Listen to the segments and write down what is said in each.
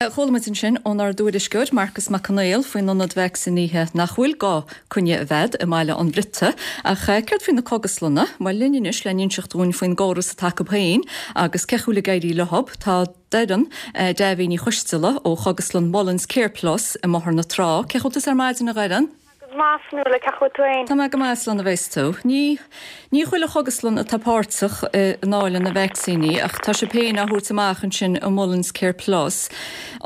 Chuala muid ansin ónár dtuairisceoir, Marcas Mac Conghail, faoin ionad vacsaínithe nach bhfuil gá coinne a bheith agat i mBaile an Bhriotaigh. Ach céard faoi na cógaslanna? Bhuel, linn anois le n-inseacht dúinn faoin gcóras atá acu féin agus cén chaoi a bhfuil ag éirí leo, tá Doireann Davy Ní Choisteala ó Chógaslann Mullins Care Plus i mBóthar na Trá. Cén chaoi a bhfuil tusa ar maidin, a Dhoireann? Go maith, a Fhionnuala, cén chaoi a bhfuil tú fhéin? Tá mé go maith, slán a bheas tú. Ní, ní chuile chógaslann atá páirteach i ndáileadh na vacsaíní ach tá sibh féin á thabhairt amach ansin i Mullins Care Plus.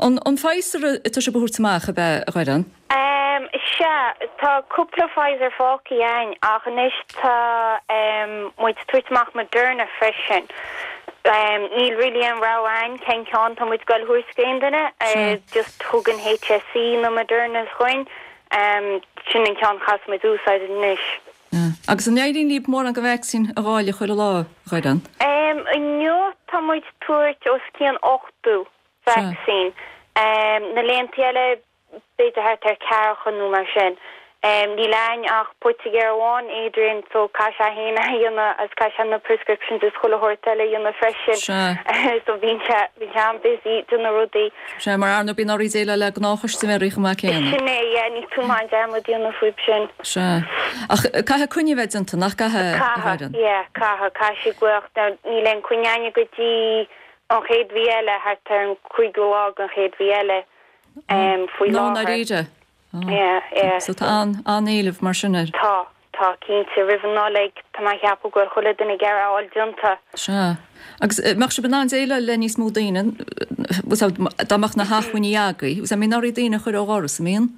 An, an Pfizer atá sibh a thabhairt amach, ab ea, a Dhoireann? Ehm, sea, tá cúpla Pfizer fágtha againn ach anois tá, ehm, muid ag tabhairt amach Moderna freisin. Ehm, níl really aon rogha againn cén ceann tá muid ag goil a thabhairt d'aon duine, eh, just thug an HSE na Modernas dhuinn. Sin an ceann a chaithfeas muid úsáid anois. Agus an éiríonn libh mórán de vacsaín a dháileadh chuile lá, a Dhoireann? Inniu tá muid ag tabhairt os cionn 80 vacsaín. Na laethanta eile b'fhéidir thart ar ceathracha nó mar sin. Níl a'ainn ach poitigéir amháin, Adrian, so caithfidh sé féin é a dhéanamh agus caithfidh sé na prescriptions is chuile shórt eile a dhéanamh freisin. So bíonn sé, bíonn sé an-busy ag déanamh rudaí. Sea, mar ar ndóigh bíonn oraibh déileáil le gnáthchustaiméirí chomh maith céanna. Sin é, yeah, ní tú maith an dearmad a dhéanamh faoib sin. Sea. Ach caithfidh coinne a bheith déanta, nach gcaithfidh, a Caithfidh, Dhoireann? yeah, caithfidh, caithfidh siad glaoch. Now, níl aon coinne a'ainne go dtí an chéad mhí eile, thart ar an cúigiú lá den chéad mhí eile, faoi Nó láthair. ndáiríre? Yeah, yeah. So tá an-éileamh mar sin air. Tá, tá, cinnte. Roimh an Nollaig, tá mé a cheapadh go bhfuil chuile duine ag iarraidh a fháil déanta. Sea. Agus mbeadh sibh in ann déileáil le níos mó daoine, dá mbeadh na hacmhainní agaibh? An mbíonn oraibh daoine a chur ó dhoras, an mbíonn?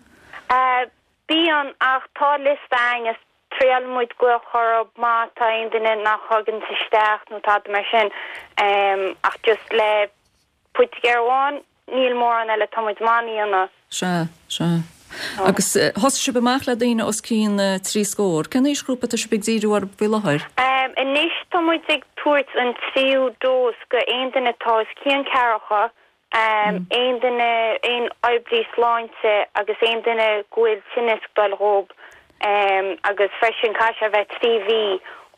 Bíonn, ach tá liosta a'ainn is triaileann muid glaoch orthu má tá aon duine nach thaganns isteach nó tada mar sin. Ach just le Poitigéir amháin, níl mórán eile atá muid in ann a dhéanamh. Sea, sea. Agus thosaigh sibh amach le daoine os cionn trí scór. Cén aoisghrúpa atá sibh ag díriú orthu faoi láthair? Anois tá muid ag tabhairt an tríú dós go aon duine atá os cionn ceathracha, aon duine, aon oibrí sláinte agus aon duine go bhfuil tinneas ag dul dhób. Agus freisin caithfidh sé a bheith 3 mhí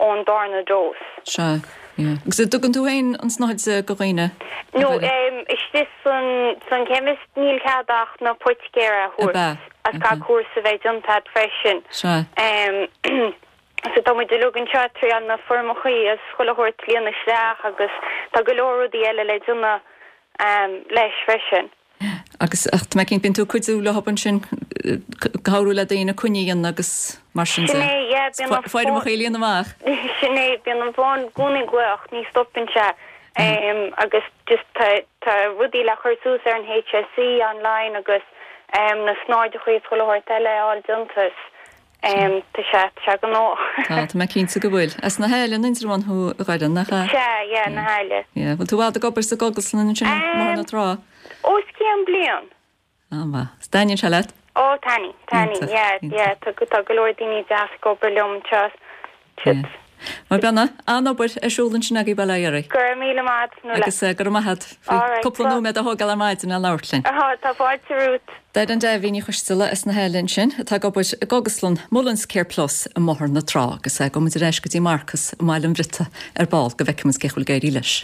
ón darna dós. Sea, yeah. Agus an dtugann tú féin an tsnáthaid go dhaoine? No, istigh san, san chemist níl cead ach na poitigéara a thabhairt. Agus caithfidh cúrsa a bheith déanta agat freisin. Sea. So tá muid uilig anseo ag triáil na foirmeachaí agus chuile shórt a líonadh isteach agus tá go leor rudaí eile le déanamh leis freisin. Agus, ach tá mé cinnte, bíonn tú ag cuidiú leo ansin, cabhrú le daoine coinní a dhéanamh agus mar sin de. Sin é, yeah, bíonn an fón. Foirmeacha a líonadh amach. Sin é, bíonn an fón i gcónaí ag glaoch, ní stopann sé. Agus just tá, tá rudaí le cur suas ar an HSE online agus na snáitheachaí is chuile shórt eile a fháil déanta is tá sé, tá sé gnóthach. Tá, tá mé cinnte go bhfuil. As na hAille, an Indreabhán thú, a Dhoireann, nach ea? Sea, yeah, na hAille. Yeah, bhfuil tú i bhfad ag obair sa gcógaslann ansin i mBóthar na Trá? Os cionn bliain. An-mhaith. Is dtaitníonn sé leat? Ó, taitníonn, taitníonn, yeah, yeah, tá, tá go leor daoine deas ag obair liom anseo. Yeah. Bhuel, bíonn an-obair ar siúl ansin agaibh, bail ó Dhia oraibh. Go raibh míle maith agat, Nuala. Agus go raibh maith agat faoi cúpla nóiméad a thógáil ar maidin le labhairt linn. Tá fáilte romhat. Doireann Davy Ní Choisteala as na hAille ansin, atá ag obair i gcógaslann Mullins Care Plus i mBóthar na Trá. Agus gabhfaidh muid ar ais go dtí Marcas i mBaile an Bhriotaigh ar ball go bhfeicfidh muid cén chaoi a bhfuil ag éirí leis.